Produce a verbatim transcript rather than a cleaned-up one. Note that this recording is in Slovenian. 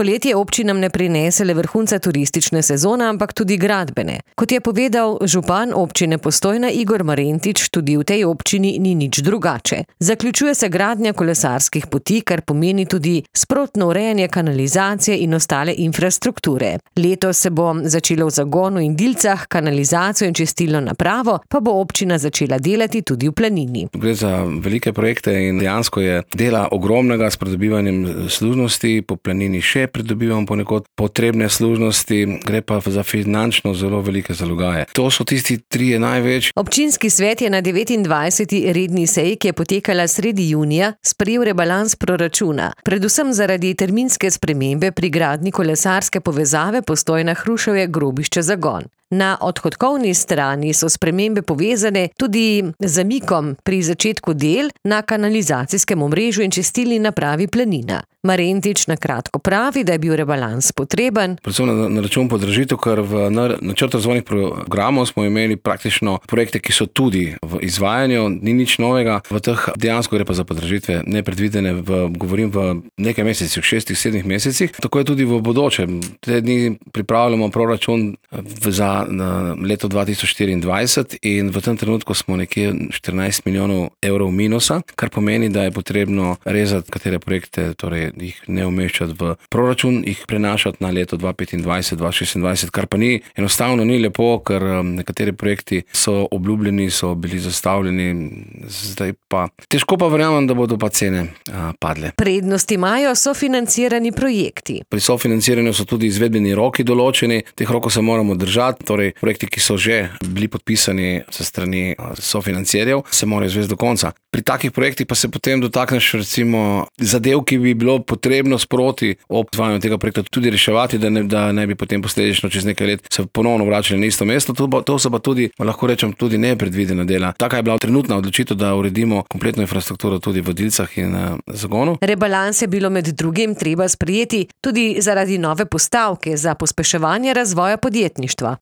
Poletje občinam ne prinese le vrhunca turistične sezone, ampak tudi gradbene. Kot je povedal župan občine Postojna Igor Marentič, tudi v tej občini ni nič drugače. Zaključuje se gradnja kolesarskih poti, kar pomeni tudi sprotno urejanje kanalizacije in ostale infrastrukture. Letos se bo začelo v Zagonu in Dilcah, kanalizacijo in čistilno napravo pa bo občina začela delati tudi v Planini. Gre za velike projekte in dejansko je dela ogromnega s pridobivanjem služnosti, po Planini še pridobivamo ponekod potrebne služnosti, gre pa za finančno zelo velike zalogaje. To so tisti trije največ. Občinski svet je na devetindvajseti redni seji, ki je potekala sredi junija, sprejel rebalans proračuna, predvsem zaradi terminske spremembe pri gradnji kolesarske povezave Postojna-Hruševje-Grobišče-Zagon. Na odhodkovni strani so spremembe povezane tudi z zamikom pri začetku del na kanalizacijskem omrežju in čistilni napravi Planina. Marentič na kratko pravi, da je bil rebalans potreben. Predvsem na, na račun podražitev, ker v načrtu razvojnih programov smo imeli praktično projekte, ki so tudi v izvajanju, ni nič novega. V teh dejansko gre pa za podražitve nepredvidene, v, govorim v nekaj mesecih, šestih, sedmih mesecih. Tako je tudi v bodoče. Te dni pripravljamo proračun za na leto dva tisoč štiriindvajset in v tem trenutku smo nekje štirinajst milijonov evrov minusa, kar pomeni, da je potrebno rezati katere projekte, torej jih ne umeščati v proračun, jih prenašati na leto dva petindvajset, dva šestindvajset, kar pa ni enostavno ni lepo, ker nekateri projekti so obljubljeni, so bili zastavljeni, zdaj pa težko pa verjamem, da bodo pa cene a, padle. Prednosti imajo sofinancirani projekti. Pri sofinanciranju so tudi izvedbeni roki določeni, teh rokov se moramo držati. Torej, projekti, ki so že bili podpisani sa strani sofinancierjev, se morajo izvesti do konca. Pri takih projektih pa se potem dotakneš recimo zadev, ki bi bilo potrebno sproti ob izvajanju tega projekta tudi reševati, da ne, da ne bi potem posledično čez nekaj let se ponovno vračali na isto mesto. To, to so pa tudi, lahko rečem, tudi nepredvidena dela. Taka je bila trenutna odločitev, da uredimo kompletno infrastrukturo tudi v Dilcah in uh, Zagonu. Rebalans je bilo med drugim treba sprejeti tudi zaradi nove postavke za pospeševanje razvoja podjetništva.